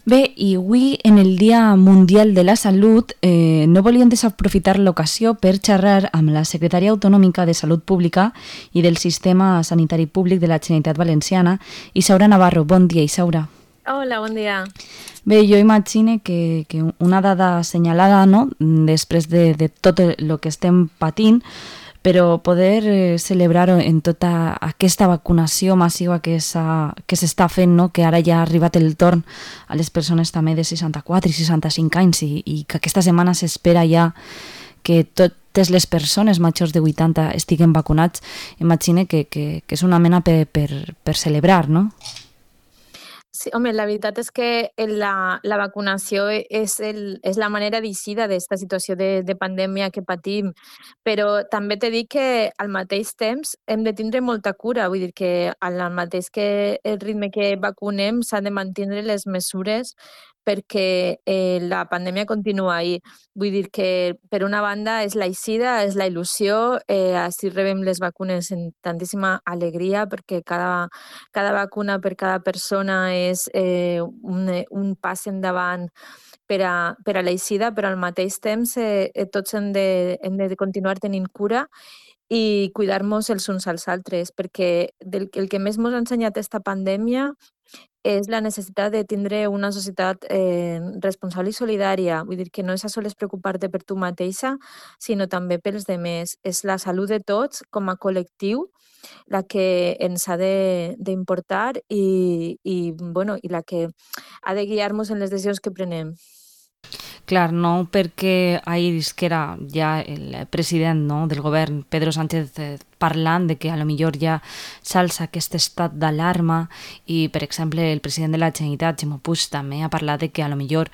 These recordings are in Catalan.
Bé, i avui, en el Dia Mundial de la Salut, no volíem desaprofitar l'ocasió per xerrar amb la secretària autonòmica de Salut Pública i del Sistema Sanitari Públic de la Generalitat Valenciana, Isaura Navarro. Bon dia, Isaura. Hola, bon dia. Bé, jo imagino que una dada assenyalada, no?, després de tot el que estem patint, però poder celebrar en tota aquesta vacunació massiva que s'està fent, no?, que ara ja ha arribat el torn a les persones també de 64 i 65 anys i que aquesta setmana s'espera ja que totes les persones majors de 80 estiguen vacunats, imagine que és una mena per celebrar, no? Sí, home, la veritat és que la vacunació és la manera d'eixir d'esta situació de pandèmia que patim, però també t'he dit que al mateix temps hem de tindre molta cura, vull dir que al mateix que el ritme que vacunem s'han de mantenir les mesures perquè la pandèmia continua ahí. Vull dir que, per una banda, és l'eixida, és la il·lusió, així rebem les vacunes amb tantíssima alegria perquè cada vacuna per cada persona és un pas endavant per a l'eixida, però al mateix temps tots hem de continuar tenint cura i cuidar-nos els uns als altres, perquè el que més ens ha ensenyat esta pandèmia és la necessitat de tindre una societat responsable i solidària. Vull dir que no és a sols preocupar-te per tu mateixa, sinó també pels demés. És la salut de tots com a col·lectiu la que ens ha d'importar i la que ha de guiar-nos en les decisions que prenem. Clar, no perquè ahir que era ja el president, no, del govern, Pedro Sánchez, parlant de que a lo millor ja s'alça aquest estat d'alarma i, per exemple, el president de la Generalitat, Ximo Puig, també ha parlat de que a lo millor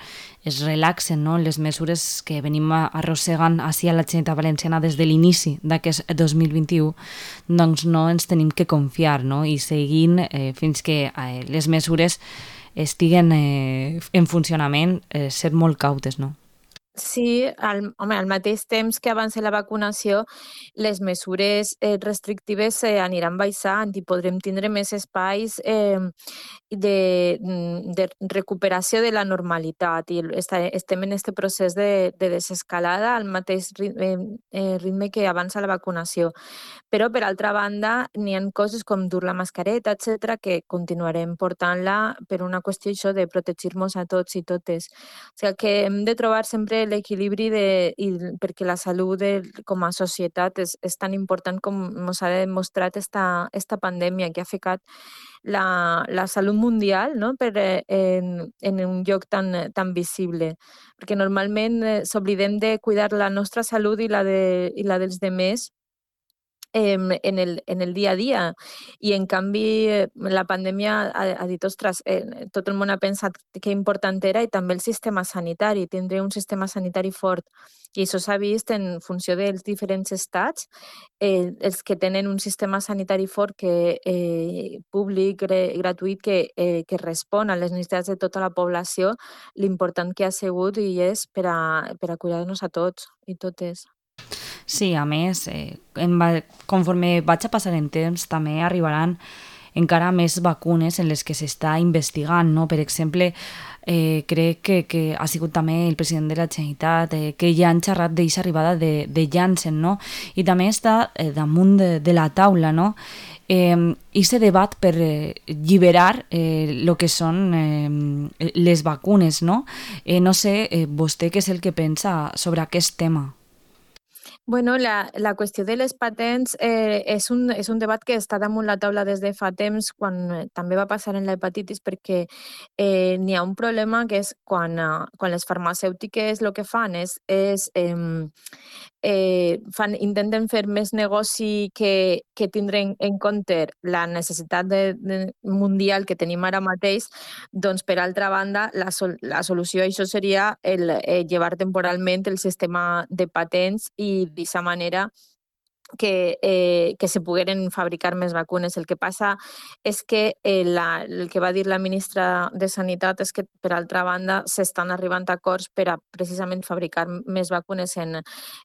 es relaxen, no, les mesures que venim arrossegant ací a la Generalitat Valenciana des de l'inici d'aquest 2021, doncs no ens tenim que confiar, no, i seguint fins que les mesures estiguen en funcionament, ser molt cautes, no? Sí, al mateix temps que avança la vacunació, les mesures restrictives aniran baixant i podrem tindre més espais de recuperació de la normalitat i estem en aquest procés de desescalada al mateix ritme que avança la vacunació. Però, per altra banda, n'hi ha coses com dur la mascareta, etcètera, que continuarem portant-la per una qüestió això de protegir-nos a tots i totes. O sigui que hem de trobar sempre l'equilibri perquè la salut com a societat és tan important com ens ha demostrat esta pandèmia que ha ficat la salut mundial, no?, en un lloc tan visible. Perquè normalment s'oblidem de cuidar la nostra salut i la dels demés en el dia a dia. I en canvi, la pandèmia ha dit, ostres, tot el món ha pensat que important era i també el sistema sanitari, tindre un sistema sanitari fort. I això s'ha vist en funció dels diferents estats, els que tenen un sistema sanitari fort públic, gratuït, que respon a les necessitats de tota la població, l'important que ha sigut i és per a cuidar-nos a tots i totes. Sí, a més, conforme vaig a passar en temps, també arribaran encara més vacunes en les que s'està investigant, no? Per exemple, crec que ha sigut també el president de la Generalitat que ja han xerrat d'aquesta arribada de Janssen, no? I també està damunt de la taula, no? Ese debat per lliberar el que són les vacunes, no? No sé, vostè què és el que pensa sobre aquest tema? Bueno, la qüestió de les patents és un debat que està damunt la taula des de fa temps, quan també va passar en l'hepatitis, perquè n'hi ha un problema que és quan les farmacèutiques el que fan intenten fer més negoci que tindre en compte la necessitat mundial que tenim ara mateix, doncs, per altra banda, la solució a això seria llevar temporalment el sistema de patents i d'aquesta manera que se pogueren fabricar més vacunes. El que passa és que el que va dir la ministra de Sanitat és que, per altra banda, s'estan arribant a acords per a precisament fabricar més vacunes en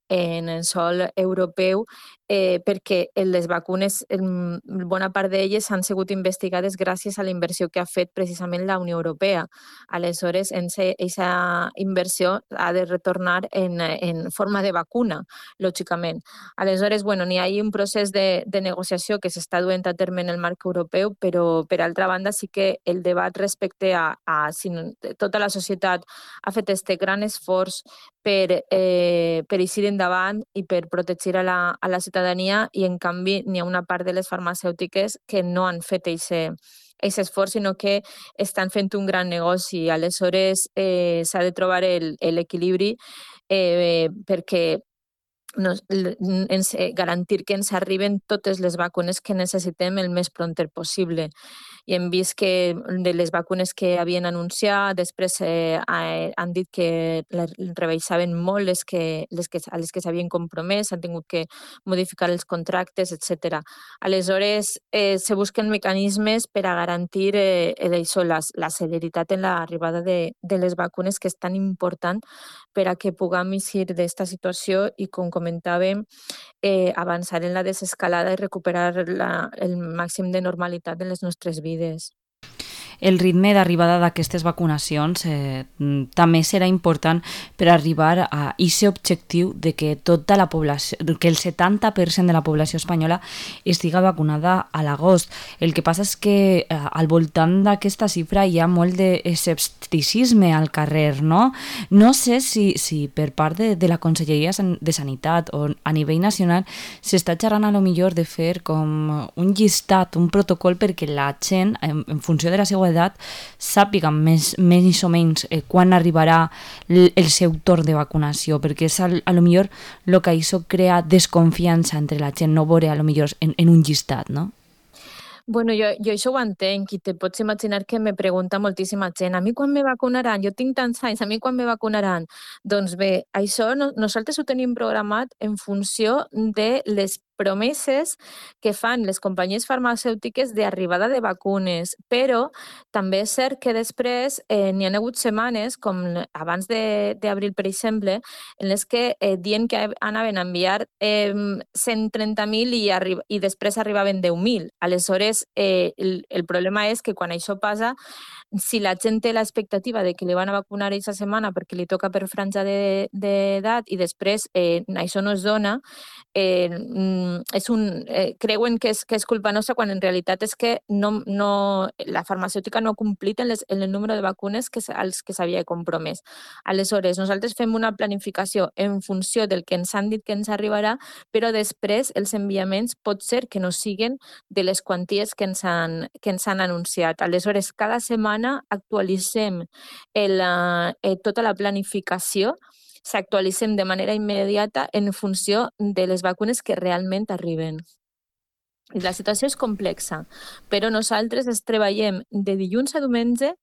el sòl europeu, perquè les vacunes, bona part d'elles han sigut investigades gràcies a la inversió que ha fet precisament la Unió Europea. Aleshores, aquesta inversió ha de retornar en forma de vacuna, lògicament. Aleshores, n'hi ha un procés de negociació que s'està duent a terme en el marc europeu, però, per altra banda, sí que el debat respecte a si tota la societat ha fet este gran esforç per eixir endavant i per protegir a la ciutadania, i en canvi n'hi ha una part de les farmacèutiques que no han fet aquest esforç, sinó que estan fent un gran negoci. Aleshores, s'ha de trobar l'equilibri perquè garantir que ens arriben totes les vacunes que necessitem el més prompt possible. I hem vist que de les vacunes que havien anunciat, després han dit que rebaixaven molt a les que s'havien compromès, han tingut que modificar els contractes, etc. Aleshores, se busquen mecanismes per a garantir això, la celeritat en l'arribada de les vacunes, que és tan important per a que puguem eixir d'esta situació i, com comentàvem, avançar en la desescalada i recuperar el màxim de normalitat en les nostres vides. El ritme d'arribada d'aquestes vacunacions també serà important per arribar a aquest objectiu de que tota la població, que el 70% de la població espanyola estiga vacunada a l'agost. El que passa és que al voltant d'aquesta xifra hi ha molt d'escepticisme al carrer, no? No sé si per part de la Conselleria de Sanitat o a nivell nacional s'està xerrant a lo millor de fer com un llistat, un protocol perquè la gent, en funció de la seva edat, sàpiga més o menys quan arribarà el seu torn de vacunació, perquè és a lo millor el que això crea desconfiança entre la gent, no veure a lo millor en un llistat, no? Jo això ho entenc, i te pots imaginar que me pregunta moltíssima gent: a mi quan me vacunaran? Jo tinc tants anys, a mi quan me vacunaran? Doncs bé, això nosaltres ho tenim programat en funció de les promeses que fan les companyies farmacèutiques d'arribada de vacunes, però també és cert que després n'hi ha hagut setmanes, com abans d'abril, per exemple, en les que diuen que anaven a enviar 130.000 i després arribaven 10.000. Aleshores, el problema és que quan això passa, si la gent té l'expectativa de que li van a vacunar aquesta setmana perquè li toca per franja d'edat i després això no es dona, creuen que és culpa nostra, quan en realitat és que la farmacèutica no ha complit en el número de vacunes als que s'havia compromès. Aleshores, nosaltres fem una planificació en funció del que ens han dit que ens arribarà, però després els enviaments pot ser que no siguen de les quanties que ens han anunciat. Aleshores, cada setmana actualitzem tota la planificació, s'actualitzem de manera immediata en funció de les vacunes que realment arriben. I la situació és complexa, però nosaltres treballem de dilluns a diumenge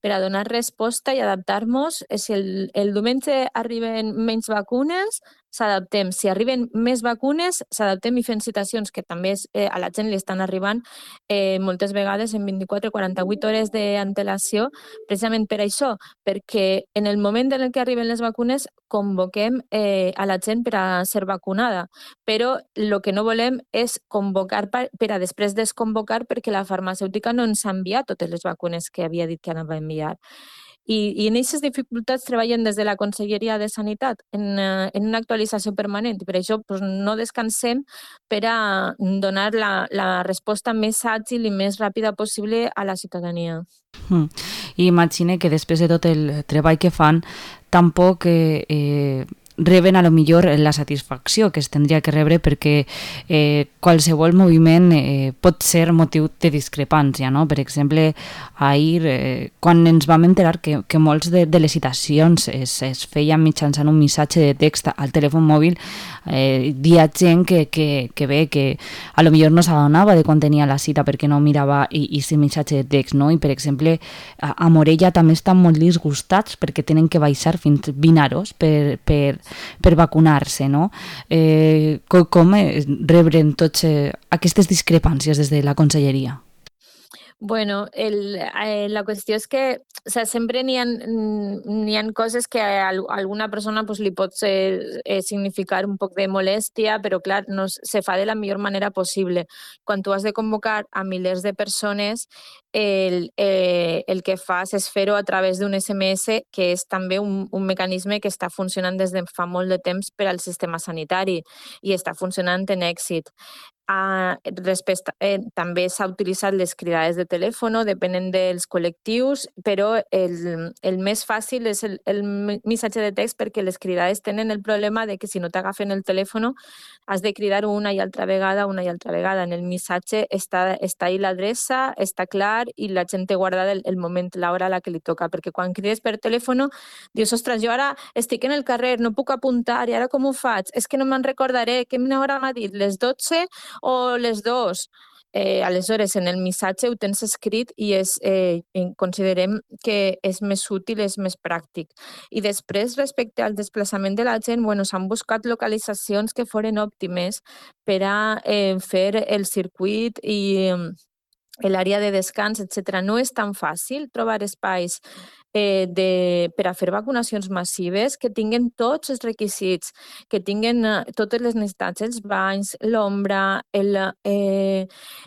per a donar resposta i adaptar-nos. Si el diumenge arriben menys vacunes, s'adaptem. Si arriben més vacunes, s'adaptem i fem citacions, que també a la gent li estan arribant moltes vegades en 24 o 48 hores d'antelació, precisament per això, perquè en el moment en què arriben les vacunes convoquem a la gent per a ser vacunada, però el que no volem és convocar per a després desconvocar, perquè la farmacèutica no ens ha enviat totes les vacunes que havia dit que anava a enviar. I en aquestes dificultats treballen des de la Conselleria de Sanitat en una actualització permanent, i per això no descansem per a donar la resposta més àgil i més ràpida possible a la ciutadania. I imagine que després de tot el treball que fan, tampoc reben a lo millor la satisfacció que es tindria que rebre, perquè qualsevol moviment pot ser motiu de discrepància, no? Per exemple, ahir, quan ens vam enterar que molts de les citacions es feien mitjançant un missatge de text al telèfon mòbil, hi ha gent que ve que a lo millor no s'adonava de quan tenia la cita perquè no mirava aquest missatge de text, no? I, per exemple, a Morella també estan molt disgustats perquè tenen que baixar fins 20 euros per per vacunar-se, no? Com rebren tots aquestes discrepàncies des de la conselleria? Bueno, la qüestió és que, o sea, sempre n'hi ha coses que a alguna persona pues, li pot significar un poc de molèstia, però clar, no se fa de la millor manera possible. Quan tu has de convocar a milers de persones, el que fas és fer-ho a través d'un SMS, que és també un mecanisme que està funcionant des de fa molt de temps per al sistema sanitari i està funcionant en èxit. També s'ha utilitzat les cridades de telèfon, depenent dels col·lectius, però el més fàcil és el missatge de text, perquè les cridades tenen el problema de que si no t'agafen el telèfon has de cridar una i altra vegada. En el missatge està ahí l'adreça, està clar i la gent té guardada el moment, l'hora a la que li toca, perquè quan crides per telèfon dius, ostres, jo ara estic en el carrer, no puc apuntar i ara com ho faig? És que no me'n recordaré, quina hora m'ha dit, les 12 o les 2? Aleshores, en el missatge ho tens escrit i considerem que és més útil, és més pràctic. I després, respecte al desplaçament de la gent, bueno, s'han buscat localitzacions que foren òptimes per a fer el circuit i l'àrea de descans, etc. No és tan fàcil trobar espais per a fer vacunacions massives que tinguen tots els requisits, que tinguen totes les necessitats, els banys, l'ombra,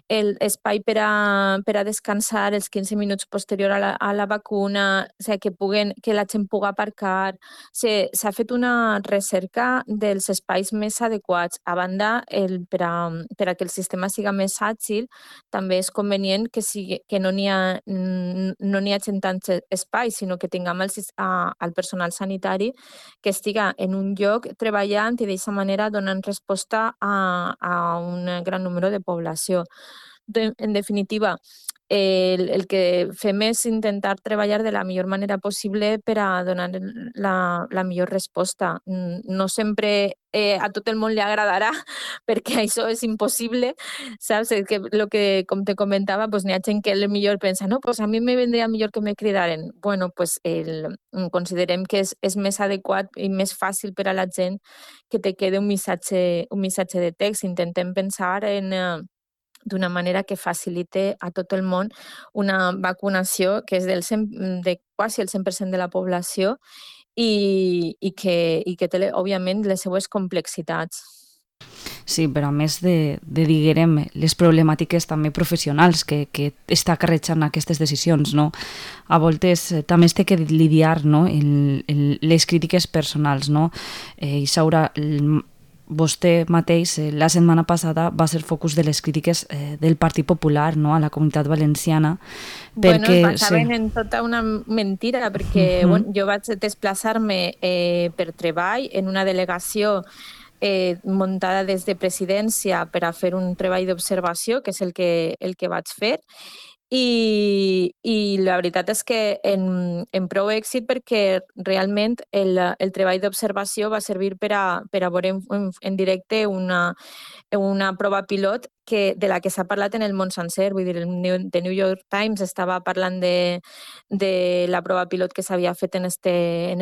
l'espai per a descansar els 15 minuts posterior a la vacuna, o sigui, que la gent pugui aparcar. S'ha fet una recerca dels espais més adequats. A banda, per a que el sistema siga més àgil, també és convenient que no n'hi hagi tants espais, sinó que tinguem el personal sanitari que estiga en un lloc treballant i d'aquesta manera donant resposta a un gran número de població. En definitiva, el que fem és intentar treballar de la millor manera possible per a donar la millor resposta. No sempre a tot el món li agradarà, perquè això és impossible, saps? Com te comentava, pues, n'hi ha gent que millor pensa, no, pues a mi me vendria millor que me cridaren. Bueno, pues considerem que és més adequat i més fàcil per a la gent que te quede un missatge de text. Intentem pensar d'una manera que facilite a tot el món una vacunació que és de quasi el 100% de la població i que té, òbviament, les seues complexitats. Sí, però a més diguem, les problemàtiques també professionals que està acarretxant aquestes decisions, no? A voltes també es té que lidiar, no? Les crítiques personals, no? Isaura, vostè mateix la setmana passada va ser focus de les crítiques del Partit Popular, no?, a la Comunitat Valenciana. Bueno, es basaven en tota una mentira, perquè jo vaig desplaçar-me per treball en una delegació muntada des de presidència per a fer un treball d'observació, que és el que vaig fer, i la veritat és que en prou èxit, perquè realment el treball d'observació va servir per a veure en directe una prova pilot de la que s'ha parlat en el món sencer. Vull dir, el The New York Times estava parlant de la prova pilot que s'havia fet en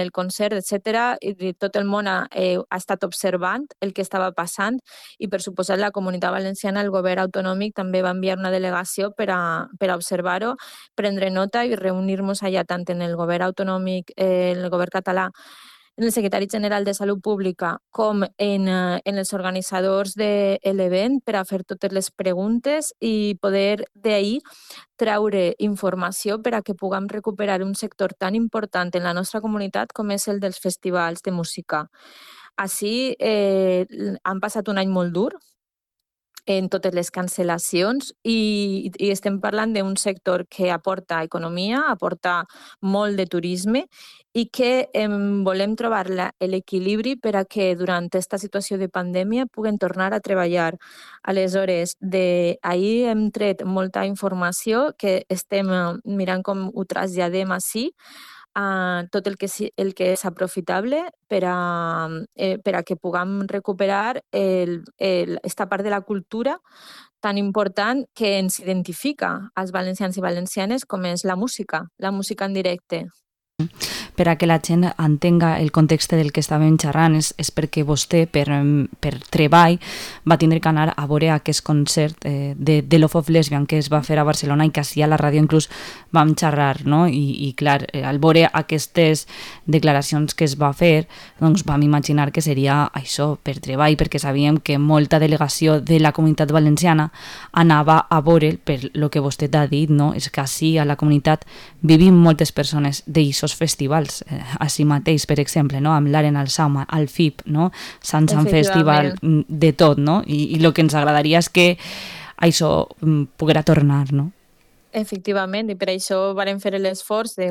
el concert, etc. I tot el món ha estat observant el que estava passant i, per suposat, la Comunitat Valenciana, el govern autonòmic, també va enviar una delegació per a observar-ho, prendre nota i reunir-nos allà tant en el govern autonòmic, el govern català, en el secretari general de Salut Pública, com en els organitzadors de l'event, per a fer totes les preguntes i poder d'ahir treure informació per a que puguem recuperar un sector tan important en la nostra comunitat com és el dels festivals de música. Així, han passat un any molt dur en totes les cancel·lacions i estem parlant d'un sector que aporta economia, aporta molt de turisme i que volem trobar l'equilibri per a que durant aquesta situació de pandèmia puguen tornar a treballar. Aleshores, ahir hem tret molta informació que estem mirant com ho traslladem així, tot el que és aprofitable per a que puguem recuperar esta part de la cultura tan important que ens identifica als valencians i valencianes, com és la música en directe. Per a que la gent entenga el context del que estàvem xerrant és perquè vostè, per treball, va tindre que anar a veure aquest concert de Love of Lesbian que es va fer a Barcelona i que així a la ràdio inclús vam xerrar, no? I clar, al veure aquestes declaracions que es va fer, doncs vam imaginar que seria això, per treball, perquè sabíem que molta delegació de la comunitat valenciana anava a veure, per lo que vostè ha dit, no? És que així a la comunitat vivim moltes persones d'eixos festivals, així mateix, per exemple, no? Amb l'Aren al Sauma, al FIP, no? Sant Festival, de tot, no? I el que ens agradaria és que això poguera tornar, no? Efectivament, i per això vàrem fer l'esforç de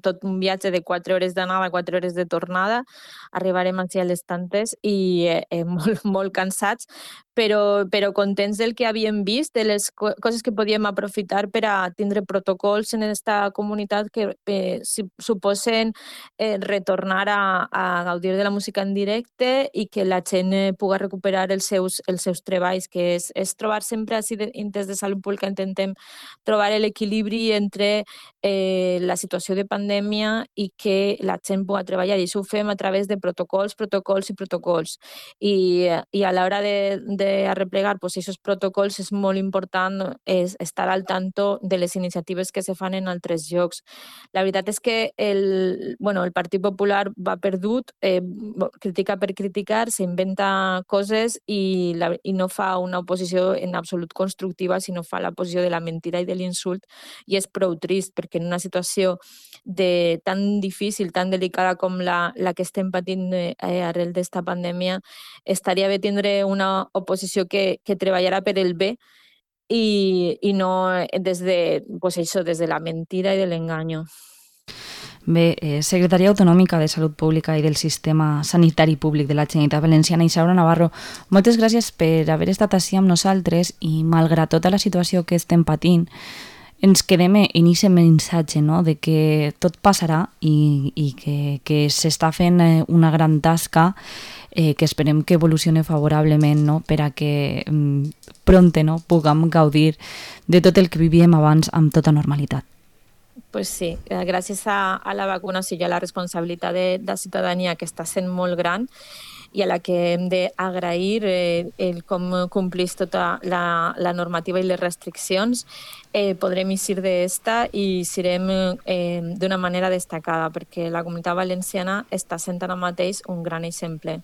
tot un viatge de 4 hores d'anada, 4 hores de tornada. Arribarem aquí a les tantes i molt, molt cansats, però contents del que havíem vist, de les coses que podíem aprofitar per a tindre protocols en aquesta comunitat que suposen retornar a gaudir de la música en directe i que la gent pugui recuperar els seus treballs, que és trobar sempre així, des de Salut Pública intentem trobar l'equilibri entre la situació de pandèmia i que la gent pugui treballar. I això ho fem a través de protocols i protocols. I a l'hora d'arreplegar aquests protocols és molt important estar al tanto de les iniciatives que se fan en altres llocs. La veritat és que el Partit Popular va perdut, critica per criticar, s'inventa coses i no fa una oposició en absolut constructiva, sinó fa la posició de la mentira i de l'insult, i és prou trist, perquè en una situació tan difícil, tan delicada com la que estem patint arrel d'esta pandèmia, estaria bé tindre una oposició que treballarà per el bé i no des de la mentira i de l'engany. Bé, secretària autonòmica de Salut Pública i del Sistema Sanitari Públic de la Generalitat Valenciana, Isaura Navarro, moltes gràcies per haver estat així amb nosaltres i, malgrat tota la situació que estem patint, ens quedem en aquest missatge, no?, de que tot passarà i que s'està fent una gran tasca que esperem que evolucioni favorablement, no?, per a que pronte, no?, puguem gaudir de tot el que vivíem abans amb tota normalitat. Pues sí, gràcies a la vacunació i a la responsabilitat de la ciutadania, que està sent molt gran i a la que hem d'agrair com complís tota la normativa i les restriccions, podrem eixir d'esta i serem d'una manera destacada, perquè la Comunitat Valenciana està sent ara mateix un gran exemple.